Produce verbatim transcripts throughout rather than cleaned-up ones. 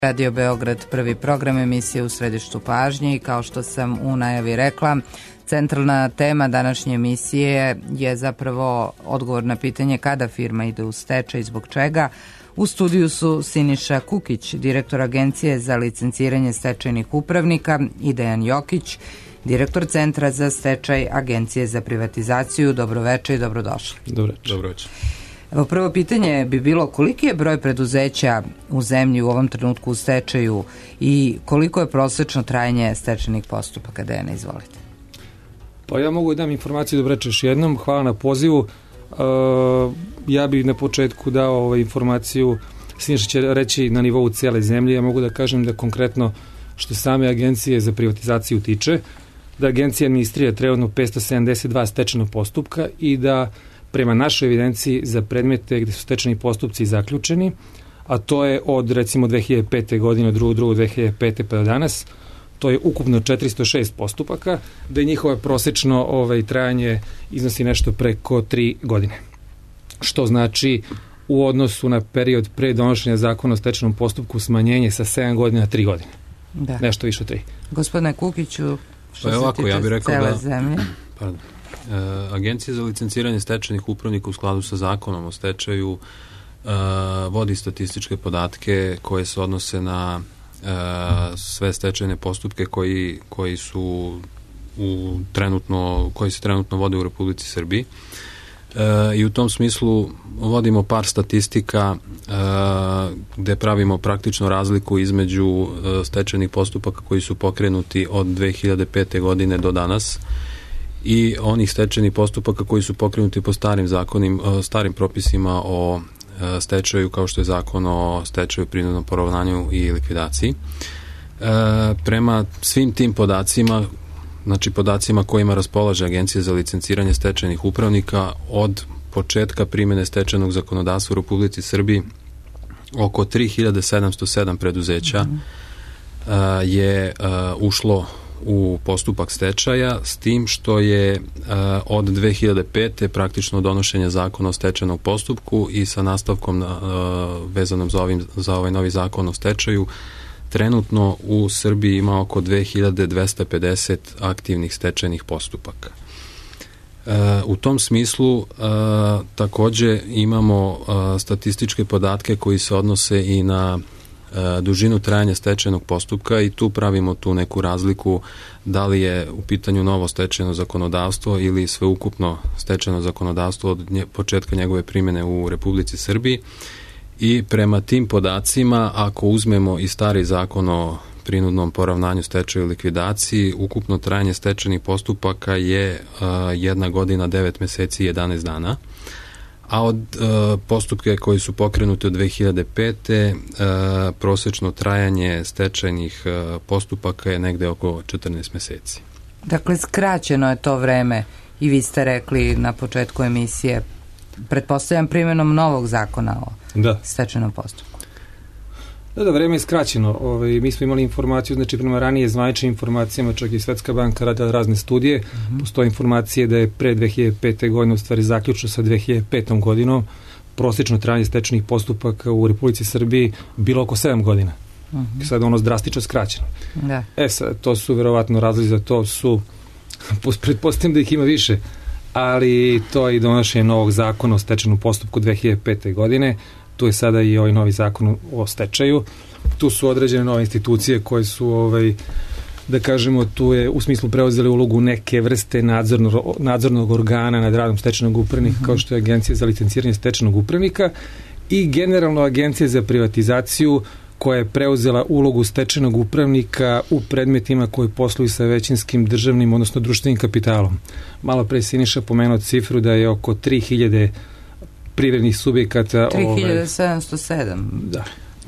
Radio Beograd, prvi program emisije U središtu pažnje i kao što sam u najavi rekla, centralna tema današnje emisije je zapravo odgovor na pitanje kada firma ide u stečaj i zbog čega. U studiju su Siniša Kukić, direktor Agencije za licenciranje stečajnih upravnika, i Dejan Jokić, direktor Centra za stečaj Agencije za privatizaciju. Dobroveče i dobrodošli. Dobroveče. Dobroveče. Evo, prvo pitanje bi bilo koliki je broj preduzeća u zemlji u ovom trenutku u stečaju i koliko je prosečno trajanje stečajnih postupaka? Dejana, izvolite. Pa ja mogu da dam informaciju, dobroveče još jednom. Hvala na pozivu. Uh, ja bih na početku dao ovaj informaciju, Siniša će reći na nivou cijele zemlje. Ja mogu da kažem da konkretno što same Agencije za privatizaciju tiče, da Agencija administrira trenutno petsto sedamdeset dva stečajnog postupka i da prema našoj evidenciji za predmete gde su stečajni postupci zaključeni, a to je od recimo dve hiljade pete. godine, od drugog drugog dve hiljade pete. pa do danas, to je ukupno četiristo šest postupaka, da je njihovo prosečno ovaj, trajanje iznosi nešto preko tri godine. Što znači u odnosu na period pre donošenja zakona o stečajnom postupku smanjenje sa sedam godina na tri godine. Da. Nešto više od tri. Gospodine Kukiću, što pa se ovako, tiče ja bih rekao cele da, zemlje? Pardon. E, Agencija za licenciranje stečajnih upravnika u skladu sa zakonom o stečaju e, vodi statističke podatke koje se odnose na e, sve stečajne postupke koji, koji su u trenutno, koji se trenutno vode u Republici Srbiji. E, I u tom smislu vodimo par statistika e, gde pravimo praktično razliku između e, stečajnih postupaka koji su pokrenuti od dve hiljade pete. godine do danas i onih stečajnih postupaka koji su pokrenuti po starim zakonim, starim propisima o stečaju, kao što je zakon o stečaju, prinudnom poravnanju i likvidaciji. E, prema svim tim podacima, znači podacima kojima raspolaže Agencija za licenciranje stečajnih upravnika, od početka primjene stečajnog zakonodavstva u Republici Srbiji oko tri hiljade sedamsto sedam preduzeća mm. a, je a, ušlo u postupak stečaja, s tim što je a, od dve hiljade pete. praktično donošenje zakona o stečajnom postupku i sa nastavkom a, vezanom za, ovim, za ovaj novi zakon o stečaju, trenutno u Srbiji ima oko dve hiljade dvesta pedeset aktivnih stečajnih postupaka. E, u tom smislu e, takođe imamo e, statističke podatke koji se odnose i na e, dužinu trajanja stečajnog postupka i tu pravimo tu neku razliku da li je u pitanju novo stečajno zakonodavstvo ili sveukupno stečajno zakonodavstvo od nje, početka njegove primjene u Republici Srbiji. I prema tim podacima, ako uzmemo i stari zakon o prinudnom poravnanju, stečaju i likvidaciji, ukupno trajanje stečajnih postupaka je uh, jedna godina, devet meseci i jedanaest dana, a od uh, postupke koji su pokrenuti od dve hiljade pete. Uh, prosečno trajanje stečajnih uh, postupaka je negde oko četrnaest meseci. Dakle, skraćeno je to vreme i vi ste rekli na početku emisije, pretpostavljam primjenom novog zakona o da. stečajnom postupku. Da, da, vreme je skraćeno. Ove, mi smo imali informaciju, znači prema ranije zvaničnim informacijama, čak i Svetska banka radila razne studije, mm-hmm. postoje informacije da je pre dve hiljade pete. godine u stvari zaključno sa dve hiljade petom. godinom prosječno trajanje stečajnih postupaka u Republici Srbiji bilo oko sedam godina. Mm-hmm. Sad ono drastično skraćeno. Da. E sad, to su verovatno razlozi za to su, pretpostavljam da ih ima više, ali to je i donošenje novog zakona o stečajnom postupku dve hiljade pete. godine. Tu je sada i ovaj novi zakon o stečaju. Tu su određene nove institucije koje su, ovaj, da kažemo, tu je u smislu preuzeli ulogu neke vrste nadzornog, nadzornog organa nad radom stečajnog upravnika, mm-hmm. kao što je Agencija za licenciranje stečajnog upravnika i generalno Agencija za privatizaciju koja je preuzela ulogu stečajnog upravnika u predmetima koji posluju sa većinskim državnim, odnosno društvenim kapitalom. Malo pre Siniša pomenuo cifru da je oko tri hiljade privrednih subjekata... tri hiljade sedamsto sedam. Da.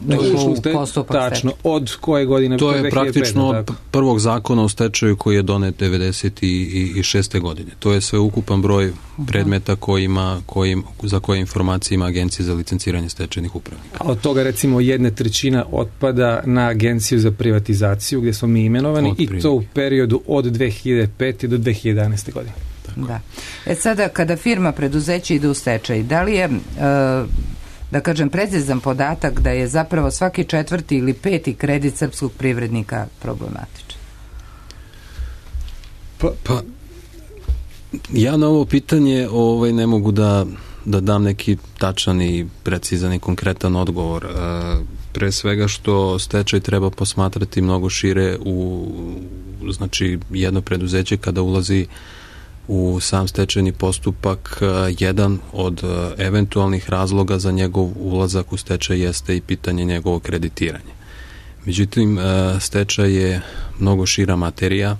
U postupak tačno, od koje godine? To je praktično od prvog zakona o stečaju koji je donet devedeset šeste. godine. To je sve ukupan broj predmeta kojima, kojim, za koje informacije ima Agencija za licenciranje stečajnih upravnika. A od toga recimo jedna trećina otpada na Agenciju za privatizaciju gdje smo mi imenovani i to u periodu od dve hiljade pete. do dve hiljade jedanaeste. godine. Da. E sada, kada firma, preduzeće ide u stečaj, da li je... Uh, da kažem, precizan podatak da je zapravo svaki četvrti ili peti kredit srpskog privrednika problematičan? Pa, pa ja na ovo pitanje ovaj, ne mogu da, da dam neki tačan i precizan i konkretan odgovor. E, pre svega što stečaj treba posmatrati mnogo šire u, znači, jedno preduzeće kada ulazi u sam stečajni postupak, jedan od eventualnih razloga za njegov ulazak u stečaj jeste i pitanje njegovog kreditiranja. Međutim, stečaj je mnogo šira materija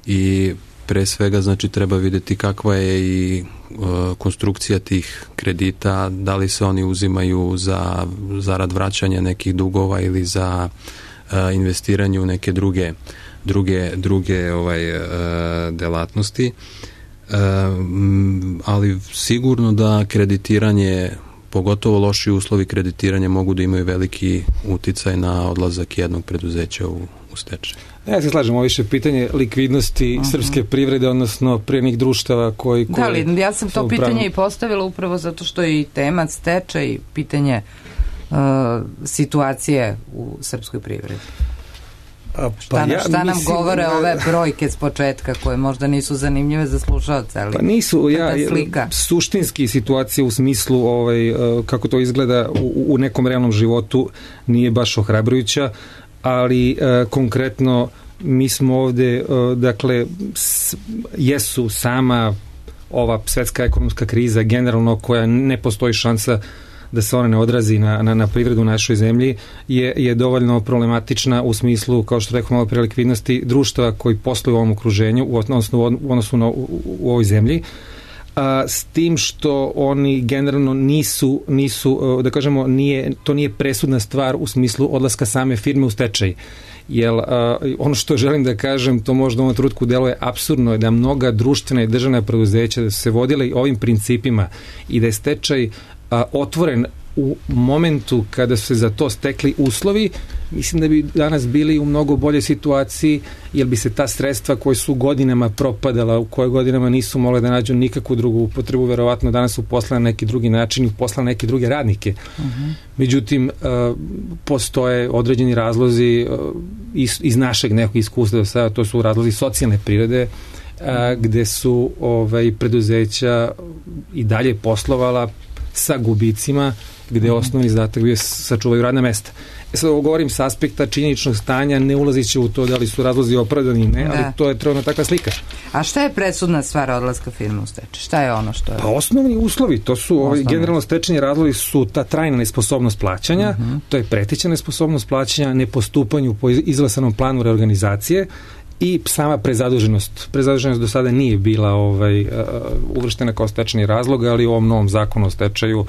i pre svega, znači, treba vidjeti kakva je i konstrukcija tih kredita, da li se oni uzimaju za zarad vraćanja nekih dugova ili za investiranje u neke druge druge, druge ovaj, delatnosti. Ali sigurno da kreditiranje, pogotovo loši uslovi kreditiranja, mogu da imaju veliki uticaj na odlazak jednog preduzeća u, u stečaj. Ja se slažem, ovo više pitanje likvidnosti uh-huh. srpske privrede, odnosno privrednih društava koji... koji da, ali ja sam to pitanje upravno... i postavila upravo zato što je i tema stečaj, pitanje uh, situacije u srpskoj privredi. A, pa šta, ja, šta nam mislim, govore ove brojke s početka koje možda nisu zanimljive za slušalce, ali pa nisu, ja, suštinski situacija u smislu ovaj, kako to izgleda u, u nekom realnom životu nije baš ohrabrujuća, ali uh, konkretno mi smo ovde, uh, dakle, s, jesu sama ova svetska ekonomska kriza generalno, koja ne postoji šansa da se ona ne odrazi na, na, na privredu u našoj zemlji, je, je dovoljno problematična u smislu, kao što rekao malo pre, likvidnosti društva koji posluju u ovom okruženju, u odnosu, u odnosu na, u, u ovoj zemlji, a, s tim što oni generalno nisu, nisu da kažemo, nije, to nije presudna stvar u smislu odlaska same firme u stečaj. Jer uh, ono što želim da kažem, to možda u ovom trenutku deluje apsurdno, je da mnoga društvena i državna preduzeća da su se vodile ovim principima i da je stečaj uh, otvoren u momentu kada su se za to stekli uslovi, mislim da bi danas bili u mnogo boljoj situaciji, jer bi se ta sredstva koje su godinama propadala, u koje godinama nisu mogle da nađu nikakvu drugu upotrebu, verovatno danas su poslali na neki drugi način i poslali neke druge radnike. Uh-huh. Međutim, uh, postoje određeni razlozi uh, iz, iz našeg nekog iskustva do sada, to su razlozi socijalne prirode, uh, gde su ovaj, preduzeća i dalje poslovala sa gubicima, gde je osnovni zadatak bio sačuvaju radna mesta. E sad ovo govorim sa aspekta činjeničnog stanja, ne ulaziće u to da li su razlozi opravdani, ne, da. Ali to je trenutno takva slika. A šta je presudna stvar odlaska firme u stečaj? Šta je ono što je? Pa osnovni uslovi, to su ovaj, generalno stečajni razlozi su ta trajna nesposobnost plaćanja, uh-huh. to je preteća nesposobnost plaćanja, nepostupanje po izglasanom planu reorganizacije i sama prezaduženost. Prezaduženost do sada nije bila ovaj, uh, uvrštena kao stečajni razlog, ali u ovom novom zakonu o stečaju uh,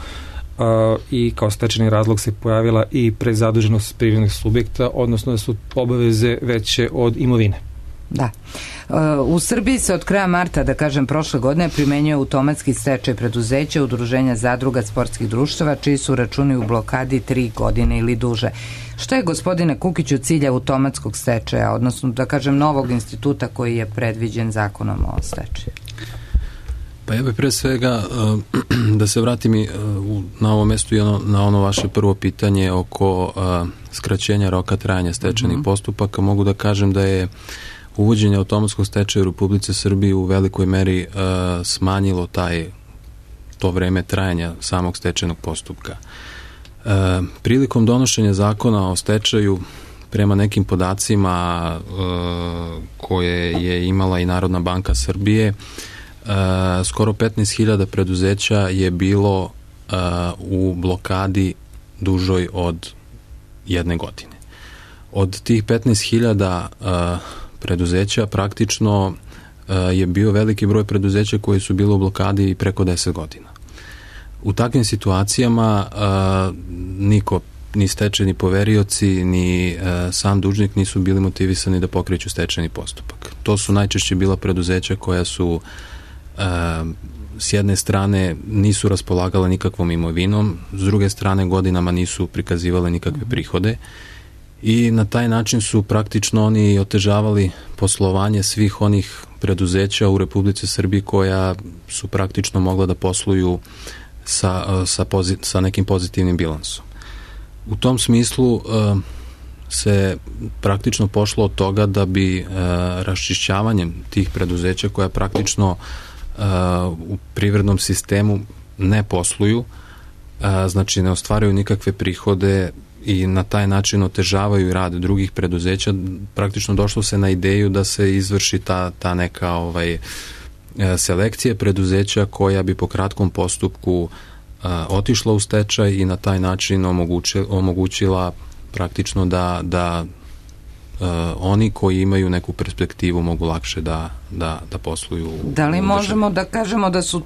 i kao stečajni razlog se pojavila i prezaduženost privrednih subjekta, odnosno da su obaveze veće od imovine. Da. U Srbiji se od kraja marta, da kažem, prošle godine primenjuje automatski stečaj preduzeća, udruženja zadruga, sportskih društava, čiji su računi u blokadi tri godine ili duže. Šta je, gospodine Kukiću, cilj automatskog stečaja, odnosno, da kažem, novog instituta koji je predviđen zakonom o stečaju? Pa ja bih pre svega da se vratim i na ovo mesto i ono, na ono vaše prvo pitanje oko skraćenja roka trajanja stečajnih uh-huh. postupaka. Mogu da kažem da je uvođenje automatskog stečaja u Republici Srbiji u velikoj meri uh, smanjilo taj, to vreme trajanja samog stečajnog postupka. Uh, prilikom donošenja zakona o stečaju, prema nekim podacima uh, koje je imala i Narodna banka Srbije, uh, skoro petnaest hiljada preduzeća je bilo uh, u blokadi dužoj od jedne godine. Od tih petnaest hiljada uh, preduzeća praktično uh, je bio veliki broj preduzeća koji su bili u blokadi i preko deset godina. U takvim situacijama uh, niko, ni stečajni poverioci, ni uh, sam dužnik nisu bili motivisani da pokreću stečajni postupak. To su najčešće bila preduzeća koja su uh, s jedne strane nisu raspolagala nikakvom imovinom, s druge strane godinama nisu prikazivale nikakve prihode, i na taj način su praktično oni otežavali poslovanje svih onih preduzeća u Republici Srbiji koja su praktično mogla da posluju sa, sa, pozi, sa nekim pozitivnim bilansom. U tom smislu se praktično pošlo od toga da bi raščišćavanjem tih preduzeća koja praktično u privrednom sistemu ne posluju, znači ne ostvaraju nikakve prihode i na taj način otežavaju rad drugih preduzeća, praktično došlo se na ideju da se izvrši ta, ta neka ovaj, selekcija preduzeća koja bi po kratkom postupku a, otišla u stečaj i na taj način omogući, omogućila praktično da, da a, oni koji imaju neku perspektivu mogu lakše da, da, da posluju. Da li možemo da kažemo da su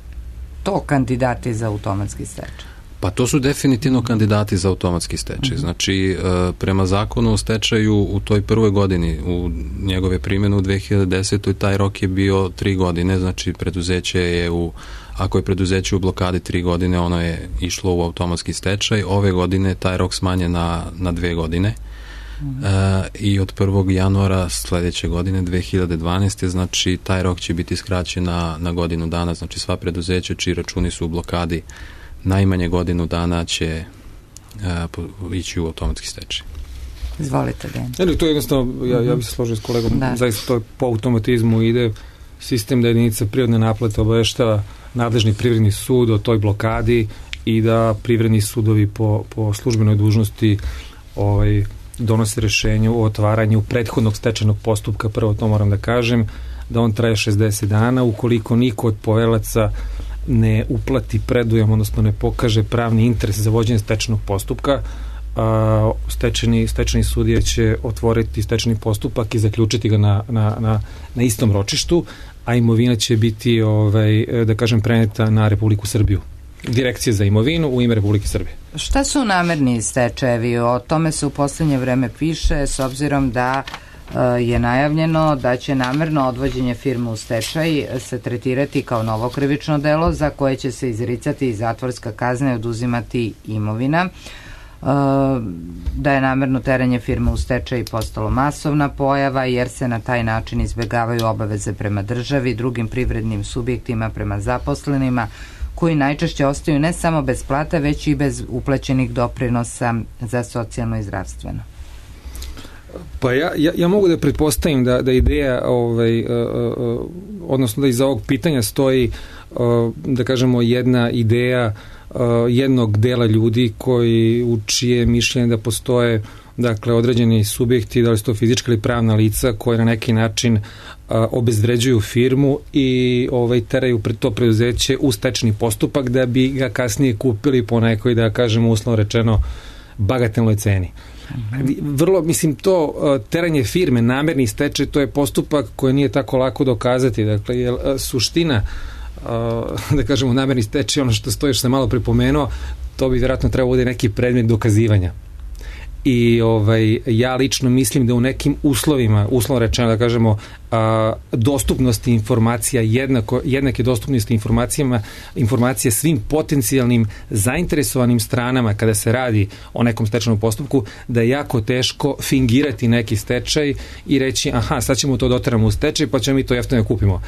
to kandidati za automatski stečaj? Pa to su definitivno kandidati za automatski stečaj. Znači, prema zakonu o stečaju u toj prvoj godini, u njegove primjene u dve hiljade desetoj taj rok je bio tri godine, znači preduzeće je u, ako je preduzeće u blokadi tri godine, ono je išlo u automatski stečaj. Ove godine taj rok smanjen na, na dve godine. Mm. E, i od prvog januara sledeće godine dve hiljade dvanaeste znači taj rok će biti skraćen na, na godinu dana, znači sva preduzeća čiji računi su u blokadi najmanje godinu dana će uh, ići u automatski stečaj. Izvolite, Dejan. Eli, to je jednostavno, ja, ja bih se složio s kolegom, da. Zaista to po automatizmu ide sistem da jedinica prirodne naplate obaveštava nadležni privredni sud o toj blokadi i da privredni sudovi po, po službenoj dužnosti ovaj, donose rešenje o otvaranju prethodnog stečajnog postupka. Prvo to moram da kažem, da on traje šezdeset dana, ukoliko niko od poverilaca ne uplati predujam, odnosno ne pokaže pravni interes za vođenje stečajnog postupka, a, stečajni, stečajni sudija će otvoriti stečajni postupak i zaključiti ga na, na, na, na istom ročištu, a imovina će biti, ovaj, da kažem, preneta na Republiku Srbiju. Direkcija za imovinu u ime Republike Srbije. Šta su namerni stečajevi? O tome se u poslednje vreme piše, s obzirom da je najavljeno da će namerno odvođenje firme u stečaj se tretirati kao novo krivično delo za koje će se izricati zatvorska kazna i oduzimati imovina, da je namerno teranje firme u stečaj postalo masovna pojava jer se na taj način izbegavaju obaveze prema državi, drugim privrednim subjektima, prema zaposlenima, koji najčešće ostaju ne samo bez plata, već i bez uplaćenih doprinosa za socijalno i zdravstveno. Pa ja, ja, ja mogu da pretpostavim da, da ideja, ovaj, uh, uh, odnosno da iza ovog pitanja stoji, uh, da kažemo, jedna ideja uh, jednog dela ljudi koji u čije mišljenje da postoje, dakle, određeni subjekti, da li su to fizička ili pravna lica, koje na neki način uh, obezvređuju firmu i ovaj, teraju pred to preduzeće u stečajni postupak da bi ga kasnije kupili po nekoj, da kažemo, uslovno rečeno, bagatelnoj ceni. Vrlo, mislim, to teranje firme, namerni stečaj, to je postupak koji nije tako lako dokazati. Dakle, je suština, da kažemo, namerni stečaj, ono što stoji, što sam malo pripomenuo, to bi vjerojatno trebalo bude neki predmet dokazivanja. I ovaj, ja lično mislim da u nekim uslovima, uslovno rečeno da kažemo, a, dostupnosti informacija, jednako, jednake dostupnosti informacijama, informacije svim potencijalnim zainteresovanim stranama kada se radi o nekom stečajnom postupku, da je jako teško fingirati neki stečaj i reći, aha, sad ćemo to doteramo u stečaj, pa ćemo mi to jeftino kupimo.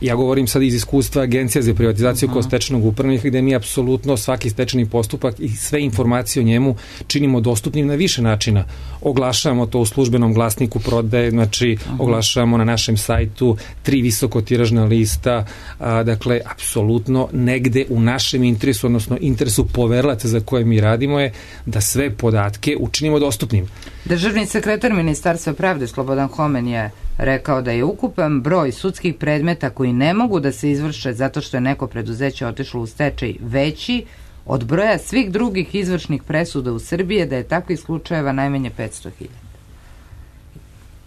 Ja govorim sad iz iskustva Agencija za privatizaciju kao stečajnog upravnika, gde mi apsolutno svaki stečajni postupak i sve informacije o njemu činimo dostupnim na više načina. Oglašavamo to u službenom glasniku prodaje, znači Aha. oglašavamo na našem sajtu, tri visokotiražna lista, a, dakle, apsolutno negde u našem interesu, odnosno interesu poverilaca za koje mi radimo je da sve podatke učinimo dostupnim. Državni sekretar Ministarstva pravde Slobodan Homen je rekao da je ukupan broj sudskih predmeta koji ne mogu da se izvrše zato što je neko preduzeće otišlo u stečaj veći od broja svih drugih izvršnih presuda u Srbiji, da je takvih slučajeva najmanje petsto hiljada.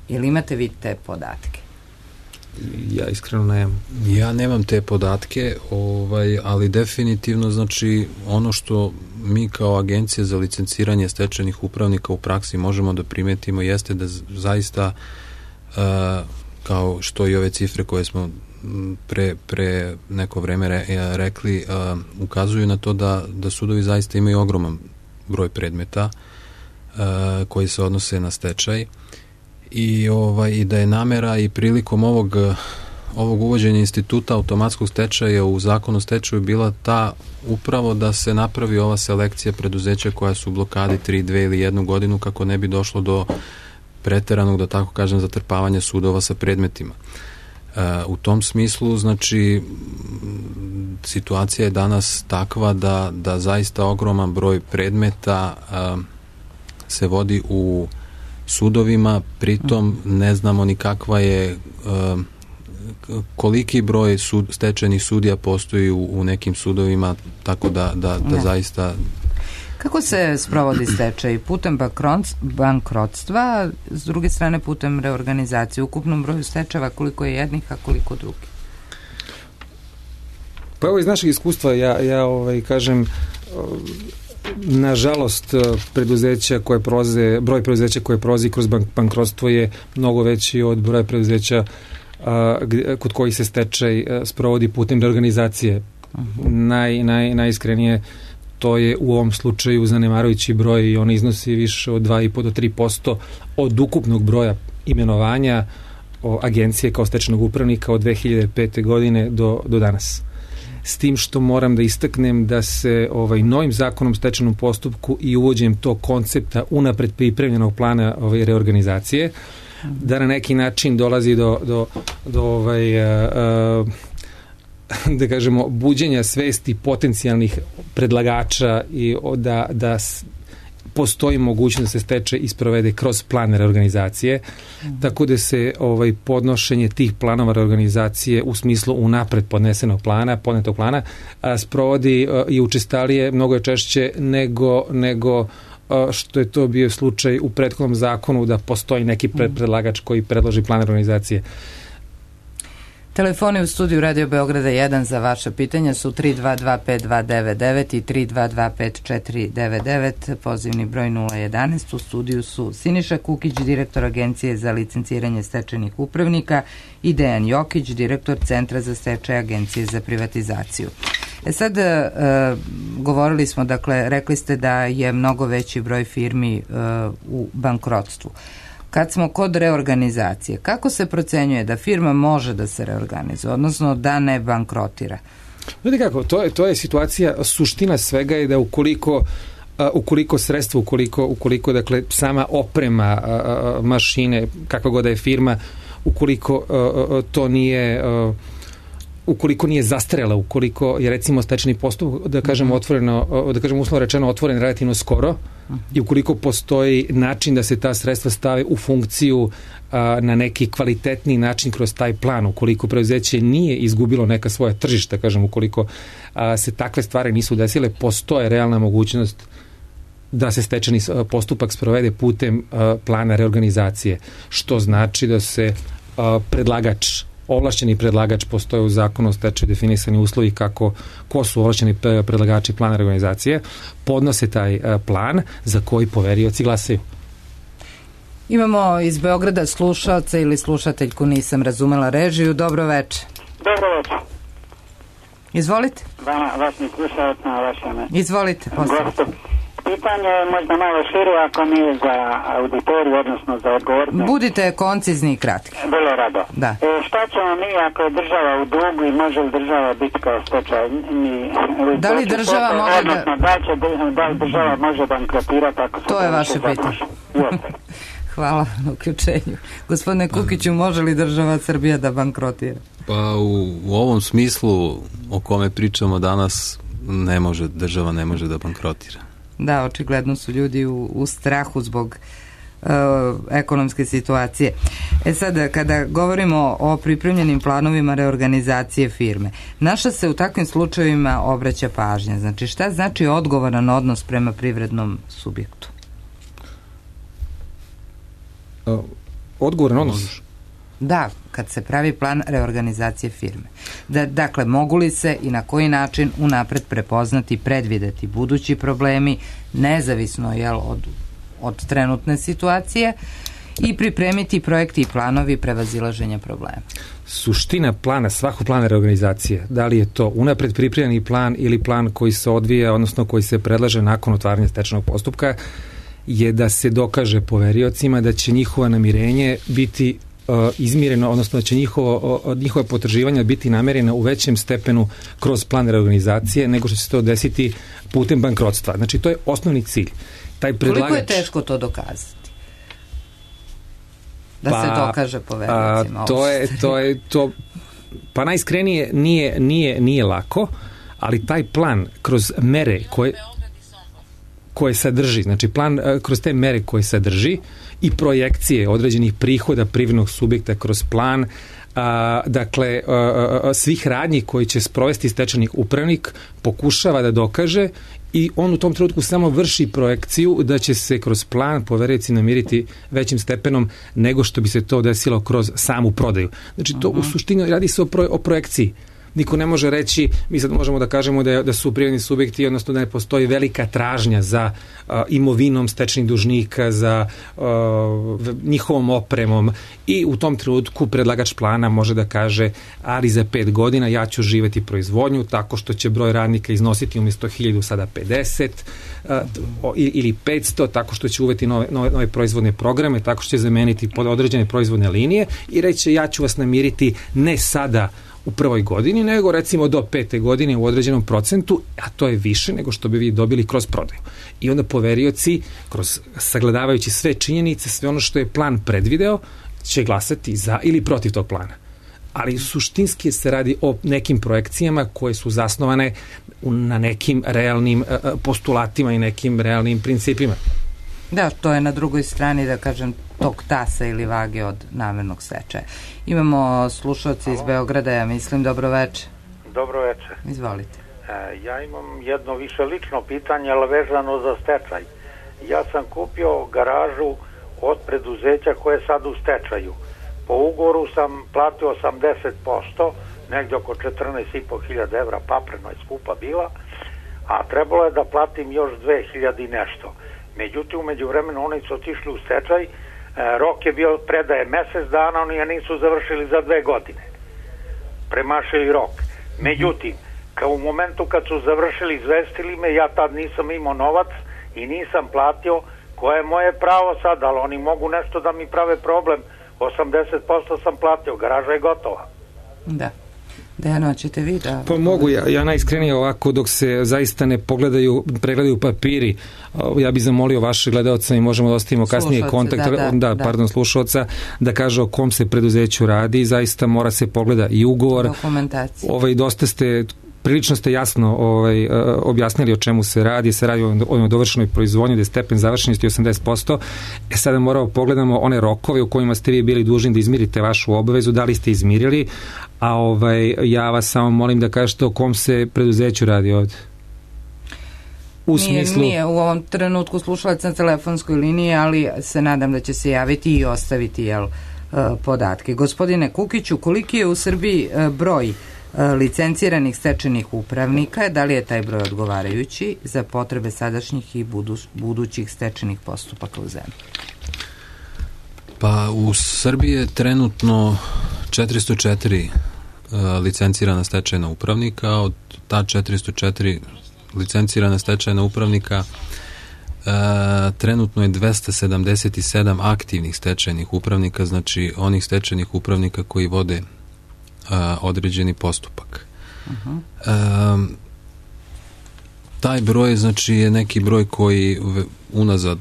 Ili imate vi te podatke? Ja iskreno nemam. Ja nemam te podatke, ovaj, ali definitivno, znači, ono što mi kao Agencija za licenciranje stečajnih upravnika u praksi možemo da primetimo jeste da zaista Uh, kao što i ove cifre koje smo pre, pre neko vreme re, rekli uh, ukazuju na to da, da sudovi zaista imaju ogroman broj predmeta uh, koji se odnose na stečaj i, ovaj, i da je namera i prilikom ovog ovog uvođenja instituta automatskog stečaja u zakonu o stečaju bila ta upravo da se napravi ova selekcija preduzeća koja su u blokadi tri, dve ili jednu godinu kako ne bi došlo do preteranog, da tako kažem, zatrpavanja sudova sa predmetima. Uh, u tom smislu, znači, situacija je danas takva da, da zaista ogroman broj predmeta uh, se vodi u sudovima, pritom ne znamo ni kakva je uh, koliki broj sud, stečajnih sudija postoji u, u nekim sudovima, tako da, da, da zaista... Kako se sprovodi stečaj? Putem bankrotstva, s druge strane putem reorganizacije. U ukupnom broju stečajeva koliko je jednih, a koliko drugih? Pa evo iz našeg iskustva ja, ja ovaj, kažem, nažalost preduzeća koje prolaze, broj preduzeća koje prolazi kroz bank, bankrotstvo je mnogo veći od broja preduzeća a, kod kojih se stečaj a, sprovodi putem reorganizacije. Uh-huh. Naj, naj, najiskrenije to je u ovom slučaju zanemarujući broj i on iznosi više od dva i po do tri posto od ukupnog broja imenovanja o agencije kao stečajnog upravnika od dve hiljade pete. godine do, do danas. S tim što moram da istaknem da se ovaj novim zakonom o stečajnom postupku i uvođenjem tog koncepta unapred pripremljenog plana ovaj, reorganizacije, da na neki način dolazi do, do, do ovaj, a, a, da kažemo, buđenja svesti potencijalnih predlagača i da, da postoji mogućnost da se stečaj isprovede kroz plan reorganizacije, mm. tako da se ovaj podnošenje tih planova reorganizacije u smislu unapred podnesenog plana, podnetog plana, a, sprovodi a, i učestalije, mnogo je češće nego, nego a, što je to bio slučaj u prethodnom zakonu da postoji neki pred, predlagač koji predloži plan reorganizacije. Telefoni u studiju Radio Beograda jedan za vaša pitanja su tri dva dva pet dva devet devet i tri dva dva pet četiri devet devet, pozivni broj nula jedanaest. U studiju su Siniša Kukić, direktor Agencije za licenciranje stečajnih upravnika, i Dejan Jokić, direktor Centra za stečaj Agencije za privatizaciju. E sad, e, govorili smo, dakle, rekli ste da je mnogo veći broj firmi e, u bankrotstvu. Kad smo kod reorganizacije, kako se procenjuje da firma može da se reorganizuje, odnosno da ne bankrotira? Vidite kako, to je, to je situacija, suština svega je da ukoliko, uh, ukoliko sredstvo, ukoliko, ukoliko dakle, sama oprema uh, mašine, kakva god da je firma, ukoliko uh, to nije... Uh, ukoliko nije zastarela, ukoliko je recimo stečajni postupak, da kažemo otvoreno, da kažemo uslovno rečeno otvoren relativno skoro, i ukoliko postoji način da se ta sredstva stave u funkciju a, na neki kvalitetni način kroz taj plan, ukoliko preduzeće nije izgubilo neka svoja tržišta, kažem, ukoliko a, se takve stvari nisu desile, postoje realna mogućnost da se stečajni postupak sprovede putem a, plana reorganizacije, što znači da se a, predlagač ovlašćeni predlagač, postoje u zakonu o stečaju definisani uslovi kako, ko su ovlašćeni predlagači plana reorganizacije, podnose taj plan za koji poverioci glasaju. Imamo iz Beograda slušalca ili slušateljku, nisam razumela režiju. Dobro večer. Dobro večer. Izvolite. Vama, vas mi slušalac na vašem. Izvolite, postavite. Pitanje je možda malo šire, ako nije za auditoriju, odnosno za odgovorne. Budite koncizni i kratki. Vrlo rado. Da. E, šta ćemo mi ako je država u dugu i može li država biti kao stečaj? Da li država može da... Odnosno, da, će, da li država može bankrotirati ako se... To je vaše pitanje. Hvala na uključenju. Gospodine Kukiću, može li država Srbija da bankrotira? Pa u, u ovom smislu o kome pričamo danas, ne može, država ne može da bankrotira. Da, očigledno su ljudi u, u strahu zbog uh, ekonomske situacije. E sad, kada govorimo o pripremljenim planovima reorganizacije firme, naša se u takvim slučajevima obraća pažnja. Znači, šta znači odgovoran odnos prema privrednom subjektu? Uh, odgovoran odnos? Da, kad se pravi plan reorganizacije firme. Da, dakle, mogu li se i na koji način unapred prepoznati, predvideti budući problemi, nezavisno jel, od, od trenutne situacije, i pripremiti projekti i planovi prevazilaženja problema? Suština plana, svakog plana reorganizacije, da li je to unapred pripremljeni plan ili plan koji se odvija, odnosno koji se predlaže nakon otvaranja stečajnog postupka, je da se dokaže poveriocima da će njihova namirenje biti izmireno, odnosno da će njihovo, njihova potraživanja biti namerena u većem stepenu kroz plan reorganizacije nego što će se to desiti putem bankrotstva. Znači, to je osnovni cilj. Taj predlagač... Koliko je teško to dokazati? Da pa, se dokaže povernicima? To je, to je, to, pa najiskrenije nije, nije, nije lako, ali taj plan kroz mere koje koje sadrži, znači plan kroz te mere koje sadrži i projekcije određenih prihoda privrednog subjekta kroz plan, a, dakle a, a, svih radnji koji će sprovesti stečajni upravnik pokušava da dokaže i on u tom trenutku samo vrši projekciju da će se kroz plan poverioci namiriti većim stepenom nego što bi se to desilo kroz samu prodaju. Znači to uh-huh. u suštini radi se o, pro, o projekciji. Niko ne može reći, mi sad možemo da kažemo da, je, da su privredni subjekti, odnosno da ne postoji velika tražnja za uh, imovinom stečajnih dužnika, za uh, njihovom opremom i u tom trenutku predlagač plana može da kaže, ali za pet godina ja ću živeti proizvodnju tako što će broj radnika iznositi umjesto hiljadu sada pedeset uh, ili petsto, tako što će uveti nove, nove, nove proizvodne programe, tako što će zameniti pod određene proizvodne linije i reći ja ću vas namiriti ne sada u prvoj godini, nego recimo do pete godine u određenom procentu, a to je više nego što bi vi dobili kroz prodaju. I onda poverioci, kroz sagledavajući sve činjenice, sve ono što je plan predvideo, će glasati za ili protiv tog plana. Ali suštinski se radi o nekim projekcijama koje su zasnovane na nekim realnim postulatima i nekim realnim principima. Da, to je na drugoj strani, da kažem, tog tasa ili vage od namernog stečaja. Imamo slušalci iz Beograda, ja mislim, dobro večer. Dobro večer. Izvolite. E, ja imam jedno više lično pitanje, ali vezano za stečaj. Ja sam kupio garažu od preduzeća koje je sad u stečaju. Po ugovoru sam platio osamdeset posto, negdje oko četrnaest i po hiljada evra, papreno je skupa bila, a trebalo je da platim još dve hiljade i nešto. Međutim, umeđu vremenu oni su otišli u stečaj, e, rok je bio predaje mesec dana, oni je nisu završili za dve godine. Premašili rok. Međutim, kao u momentu kad su završili, izvestili me, ja tad nisam imao novac i nisam platio, koje je moje pravo sad, ali oni mogu nešto da mi prave problem. osamdeset posto sam platio, garaža je gotova. Da. Dejano, ćete vi da... Pa mogu, ja, ja najiskrenije ovako, dok se zaista ne pogledaju, pregledaju papiri, ja bih zamolio vaše gledalca i možemo da ostavimo kasnije kontakt, da, da, da, da. pardon, slušalca, da kaže o kom se preduzeću radi, zaista mora se pogleda i ugovor. Dokumentacija. Ovaj, dosta ste... Prilično ste jasno ovaj, objasnili o čemu se radi, se radi o, o dovršenoj proizvodnji, da je stepen završenosti osamdeset posto. E sada moramo pogledamo one rokove u kojima ste vi bili dužni da izmirite vašu obavezu, da li ste izmirili, a ovaj, ja vas samo molim da kažete o kom se preduzeću radi ovde. U nije, smislu... nije u ovom trenutku slušalac na telefonskoj liniji, ali se nadam da će se javiti i ostaviti jel, podatke. Gospodine Kukiću, koliki je u Srbiji broj licenciranih stečajnih upravnika, da li je taj broj odgovarajući za potrebe sadašnjih i budu, budućih stečajnih postupaka u zemlji? Pa u Srbiji je trenutno četiristo četiri uh, licencirana stečajna upravnika, od ta četiristo četiri licencirana stečajna upravnika uh, trenutno je dvesta sedamdeset sedam aktivnih stečajnih upravnika, znači onih stečajnih upravnika koji vode Uh, određeni postupak. Uh-huh. Um, taj broj znači je neki broj koji unazad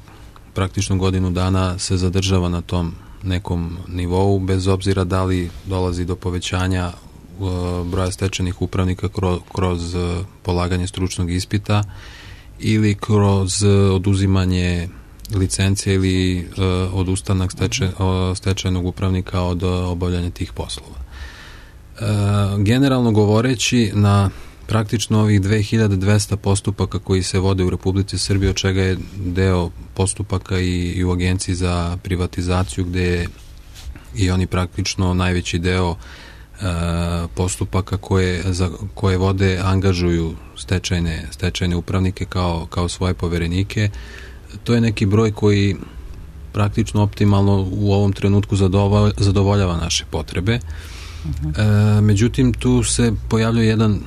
praktično godinu dana se zadržava na tom nekom nivou, bez obzira da li dolazi do povećanja uh, broja stečajnih upravnika kroz, kroz uh, polaganje stručnog ispita ili kroz uh, oduzimanje licencije ili uh, odustanak stečaj, uh, stečajnog upravnika od uh, obavljanja tih poslova. E, generalno govoreći, na praktično ovih dve hiljade dvesta postupaka koji se vode u Republici Srbiji, od čega je deo postupaka i, i u Agenciji za privatizaciju, gde je i oni praktično najveći deo e, postupaka koje, za koje vode angažuju stečajne, stečajne upravnike kao, kao svoje poverenike. To je neki broj koji praktično optimalno u ovom trenutku zadovoljava naše potrebe. E, međutim, tu se pojavljuje jedan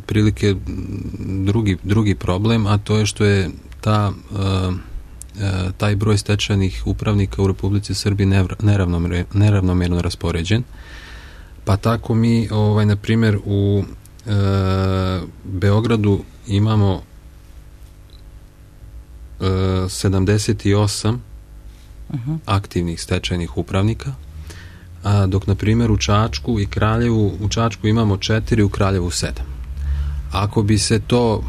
prilike drugi, drugi problem, a to je što je ta e, taj broj stečajnih upravnika u Republici Srbiji neravnomjerno raspoređen. Pa tako mi, ovaj, na primjer, u e, Beogradu imamo e, sedamdeset osam uh-huh. aktivnih stečajnih upravnika, a dok, na primjer, u Čačku i Kraljevu, u Čačku imamo četiri, u Kraljevu sedam. Ako bi se to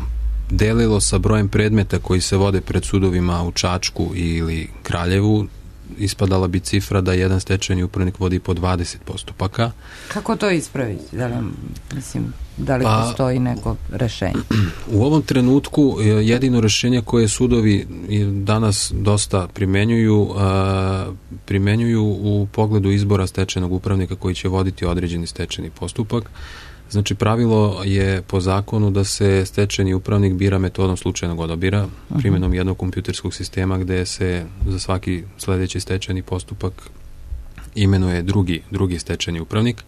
delilo sa brojem predmeta koji se vode pred sudovima u Čačku ili Kraljevu, ispadala bi cifra da jedan stečajni upravnik vodi po dvadeset postupaka. Kako to ispraviti? Da li, mislim, da li pa, postoji neko rešenje? U ovom trenutku jedino rešenje koje sudovi danas dosta primenjuju, primenjuju u pogledu izbora stečajnog upravnika koji će voditi određeni stečajni postupak. Znači, pravilo je po zakonu da se stečajni upravnik bira metodom slučajnog odabira, primjenom jednog kompjuterskog sistema gde se za svaki sledeći stečajni postupak imenuje drugi, drugi stečajni upravnik,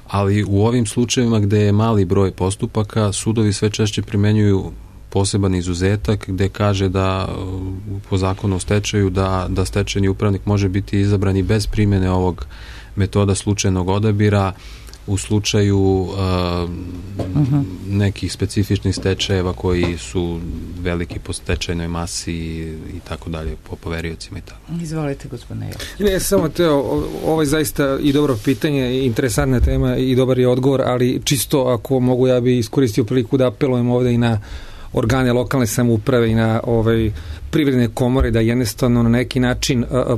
ali u ovim slučajevima gde je mali broj postupaka, sudovi sve češće primenjuju poseban izuzetak gde kaže da po zakonu o stečaju da, da stečajni upravnik može biti izabran i bez primjene ovog metoda slučajnog odabira u slučaju uh, uh-huh. nekih specifičnih stečajeva koji su veliki po stečajnoj masi i tako dalje, po poveriocima i tako. Izvolite, gospodine Jović. Ne, samo teo, ovo je zaista i dobro pitanje, interesantna tema i dobar je odgovor, ali čisto ako mogu, ja bi iskoristio priliku da apelujem ovde i na organe lokalne samouprave i na ovaj privredne komore da jednostavno na neki način a, a,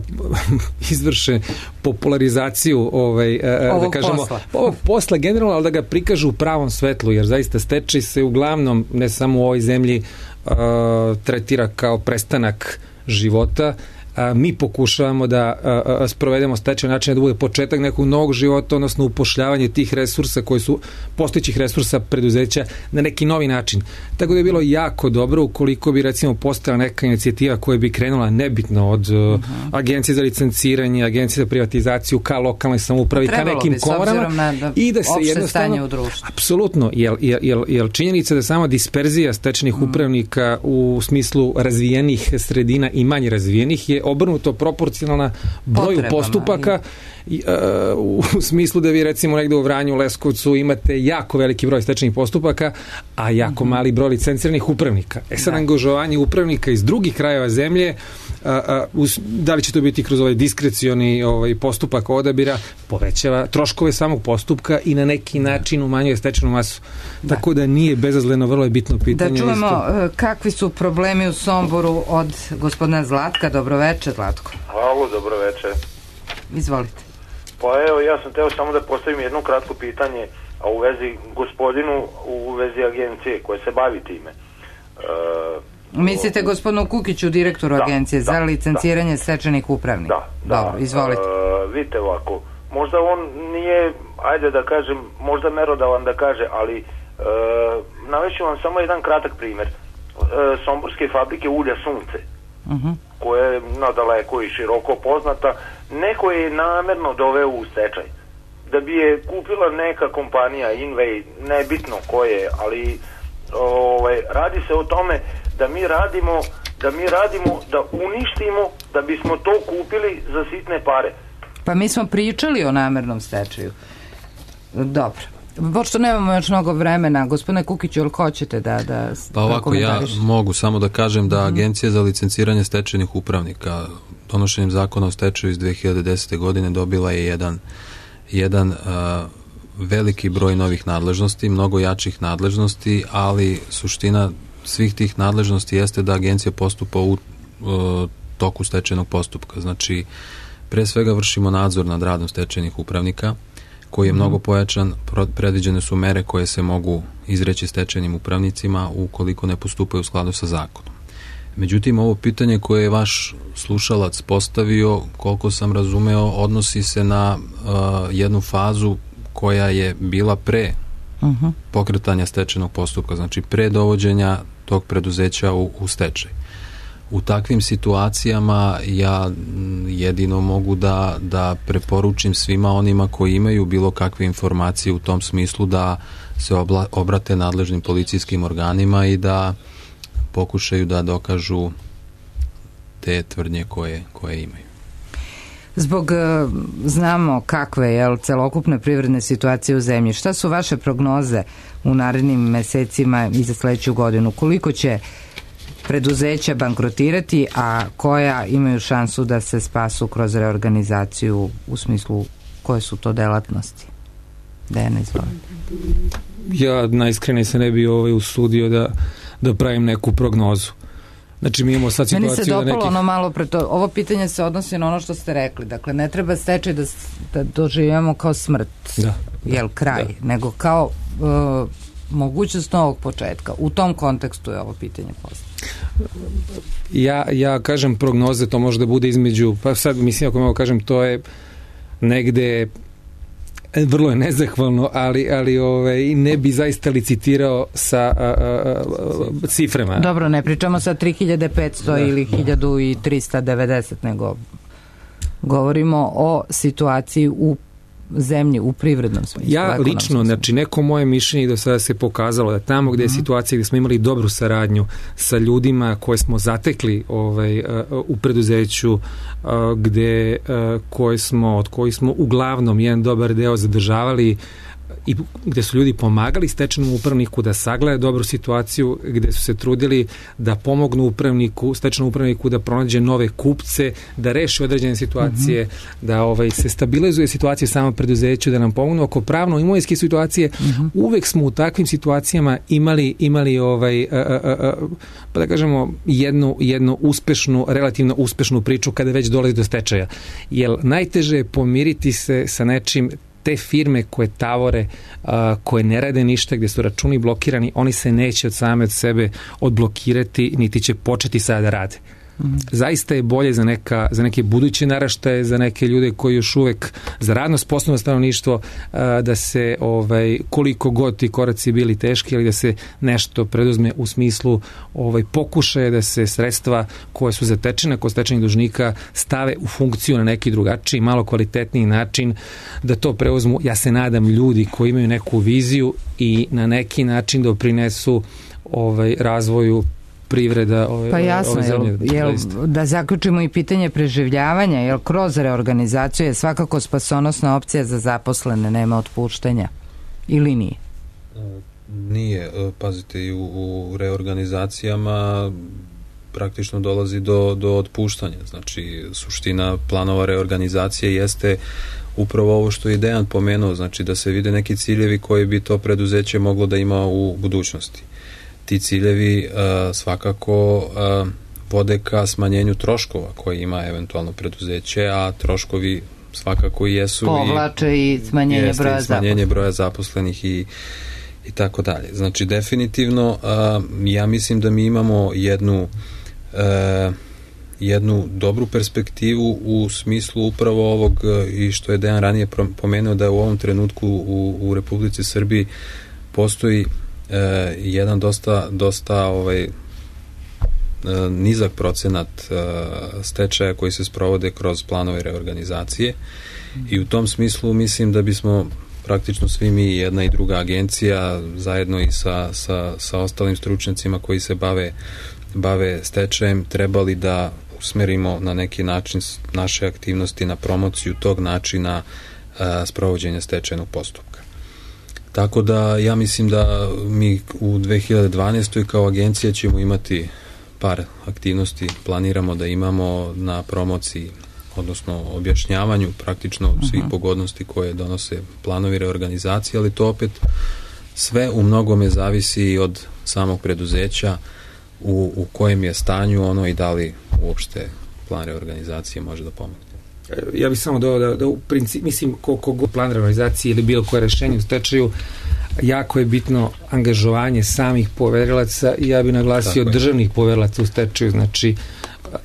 izvrše popularizaciju ovaj, a, da kažemo, posla. ovog posla generalno, ali da ga prikažu u pravom svetlu, jer zaista stečaj se uglavnom, ne samo u ovoj zemlji, a, tretira kao prestanak života. A, mi pokušavamo da a, a, sprovedemo stečaj način da bude početak nekog novog života, odnosno upošljavanje tih resursa koji su postojećih resursa preduzeća na neki novi način. Tako da je bilo jako dobro ukoliko bi recimo postojala neka inicijativa koja bi krenula nebitno od uh-huh. agencije za licenciranje, agencije za privatizaciju ka lokalnoj samoupravi, ka nekim komorama na i da se jednostavno apsolutno, jel, jel, jel, jel činjenica da sama disperzija stečajnih uh-huh. upravnika u smislu razvijenih sredina i manje razvijenih je obrnuto proporcionalna broju Potrebama, postupaka i, uh, u smislu da vi recimo negde u Vranju, Leskovcu imate jako veliki broj stečajnih postupaka, a jako uh-huh. mali broj licenciranih upravnika. E sad, da. angažovanje upravnika iz drugih krajeva zemlje, uh, uh, us, da li će to biti kroz ovaj diskrecioni ovaj postupak odabira, povećava troškove samog postupka i na neki da. način umanjuje stečajnu masu. Da. Tako da nije bezazleno, vrlo je bitno pitanje. Da čujemo isto. Kakvi su problemi u Somboru od gospodina Zlatka. Dobroveče, Zlatko. Halo, dobroveče. Izvolite. Pa evo, ja sam teo samo da postavim jedno kratko pitanje, a u vezi gospodinu, u vezi agencije koje se bavi time. E, Mislite o, gospodinu Kukiću, direktoru da, agencije da, za licenciranje da. stečajnih upravnika? Da, Dobro, da. izvolite. E, vidite ovako, možda on nije, ajde da kažem, možda merodavan da kaže, ali e, navešću vam samo jedan kratak primer. E, somborske fabrike ulja Sunce, uh-huh. koja je nadaleko i široko poznata, neko je namerno doveo u stečaj da bi je kupila neka kompanija Invej, nebitno ko je, ali ovaj, radi se o tome da mi radimo da mi radimo da uništimo da bismo to kupili za sitne pare. Pa mi smo pričali o namernom stečaju. Dobro. Pošto nemamo još mnogo vremena, gospodine Kukiću, ili hoćete da... da pa ovako, ja mogu samo da kažem da Agencija za licenciranje stečajnih upravnika donošenjem zakona o stečaju iz dve hiljade desete. godine dobila je jedan, jedan uh, veliki broj novih nadležnosti, mnogo jačih nadležnosti, ali suština svih tih nadležnosti jeste da agencija postupa u uh, toku stečajnog postupka. Znači, pre svega vršimo nadzor nad radom stečajnih upravnika, koji je mnogo pojačan, predviđene su mere koje se mogu izreći stečajnim upravnicima ukoliko ne postupaju u skladu sa zakonom. Međutim, ovo pitanje koje je vaš slušalac postavio, koliko sam razumeo, odnosi se na uh, jednu fazu koja je bila pre uh-huh. pokretanja stečajnog postupka, znači pre dovođenja tog preduzeća u, u stečaj. U takvim situacijama ja jedino mogu da, da preporučim svima onima koji imaju bilo kakve informacije u tom smislu da se obla, obrate nadležnim policijskim organima i da pokušaju da dokažu te tvrdnje koje, koje imaju. Zbog, znamo kakve je celokupne privredne situacije u zemlji, šta su vaše prognoze u narednim mesecima i za sledeću godinu? Koliko će preduzeća bankrotirati, a koja imaju šansu da se spasu kroz reorganizaciju, u smislu koje su to delatnosti? Dejana, izvolite. Ja najiskrenije se ne bi ovaj usudio da, da pravim neku prognozu. Znači, mi imamo sad situaciju Meni se dopalo nekih... ono malo pre to. Ovo pitanje se odnosi na ono što ste rekli. Dakle, ne treba stečaj da, da doživljamo kao smrt, da, jel, kraj, da. nego kao uh, mogućnost novog početka. U tom kontekstu je ovo pitanje postavljeno. Ja, ja kažem prognoze, to može da bude između, pa sad mislim, ako mogu kažem, to je negde vrlo je nezahvalno, ali, ali ovaj, ne bi zaista licitirao sa a, a, a, ciframa. Dobro, ne pričamo sa tri hiljade petsto da, ili hiljadu trista devedeset, nego govorimo o situaciji u zemlji, u privrednom smislu. Ja lično, znači neko moje mišljenje do sada se pokazalo da tamo gde je mm-hmm. situacija gde smo imali dobru saradnju sa ljudima koje smo zatekli ovaj, u preduzeću, gde koje smo, od kojih smo uglavnom jedan dobar deo zadržavali i gde su ljudi pomagali stečajnom upravniku da sagleda dobru situaciju, gde su se trudili da pomognu upravniku, stečajnom upravniku da pronađe nove kupce, da reši određene situacije, mm-hmm. da ovaj, se stabilizuje situacija samo preduzeću, da nam pomognu oko pravno-imovinske situacije. Mm-hmm. Uvek smo u takvim situacijama imali, imali ovaj, a, a, a, pa da kažemo, jednu, jednu uspešnu, relativno uspešnu priču kada već dolazi do stečaja. Jer najteže je pomiriti se sa nečim. Te firme koje tavore, a, koje ne rade ništa, gde su računi blokirani, oni se neće od same od sebe odblokirati, niti će početi sada da rade. Mm-hmm. Zaista je bolje za, neka, za neke buduće naraštaje, za neke ljude koji još uvek, za radno sposobno stanovništvo, a, da se, ovaj, koliko god ti koraci bili teški, ali da se nešto preduzme u smislu ovaj, pokušaje da se sredstva koje su zatečene kod stečajnih dužnika stave u funkciju na neki drugačiji, malo kvalitetniji način, da to preuzmu, ja se nadam, ljudi koji imaju neku viziju i na neki način doprinesu ovaj, razvoju privreda ove, pa jasno, ove zemlje. Jel, jel, da zaključimo i pitanje preživljavanja, jer kroz reorganizaciju je svakako spasonosna opcija za zaposlene, nema otpuštanja. Ili nije? Nije. Pazite, i u, u reorganizacijama praktično dolazi do, do otpuštanja. Znači, suština planova reorganizacije jeste upravo ovo što je Dejan pomenuo, znači da se vide neki ciljevi koji bi to preduzeće moglo da ima u budućnosti. Ti ciljevi uh, svakako uh, vode ka smanjenju troškova koje ima eventualno preduzeće, a troškovi svakako i jesu povlače i, i smanjenje, jeste, broja, i smanjenje zaposlenih. broja zaposlenih i, i tako dalje. Znači definitivno uh, ja mislim da mi imamo jednu uh, jednu dobru perspektivu u smislu upravo ovog uh, i što je Dejan ranije pomenuo, da u ovom trenutku u, u Republici Srbiji postoji E, jedan dosta, dosta ovaj, e, nizak procenat e, stečaja koji se sprovode kroz planove reorganizacije i u tom smislu mislim da bismo praktično svi mi, jedna i druga agencija, zajedno i sa, sa, sa ostalim stručnjacima koji se bave, bave stečajem, trebali da usmerimo na neki način naše aktivnosti na promociju tog načina e, sprovođenja stečajnog postupka. Tako da ja mislim da mi u dve hiljade dvanaestoj kao agencija ćemo imati par aktivnosti, planiramo da imamo na promociji, odnosno objašnjavanju praktično svih pogodnosti koje donose planovi reorganizacije, ali to opet sve u mnogome zavisi od samog preduzeća u, u kojem je stanju ono i da li uopšte plan reorganizacije može da pomogne. Ja bih samo dodao da, da u principu, mislim, koliko god plan reorganizacije ili bilo koje rešenje u stečaju, jako je bitno angažovanje samih poverilaca i ja bih naglasio državnih poverilaca u stečaju, znači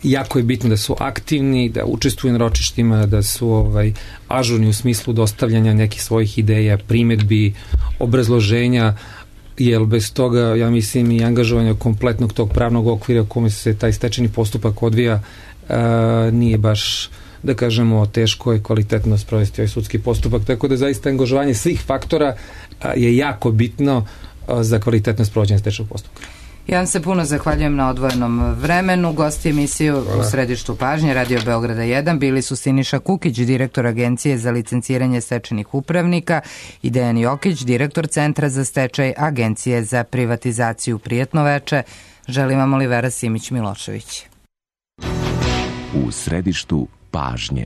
jako je bitno da su aktivni, da učestvuju na ročištima, da su ovaj, ažurni u smislu dostavljanja nekih svojih ideja, primetbi, obrazloženja, jer bez toga, ja mislim, i angažovanja kompletnog tog pravnog okvira u kome se taj stečajni postupak odvija, a, nije baš, da kažemo, teško je kvalitetno sprovesti ovaj sudski postupak, tako da zaista angažovanje svih faktora a, je jako bitno a, za kvalitetno sprovođenje stečajnog postupka. Ja vam se puno zahvaljujem na odvojenom vremenu. Gosti emisiju Hvala. U središtu pažnje Radio Beograda jedan bili su Siniša Kukić, direktor Agencije za licenciranje stečajnih upravnika, i Dejan Jokić, direktor Centra za stečaj Agencije za privatizaciju. Prijetno veče. Želim vam Olivera Simić-Milošević. U središtu pažnje.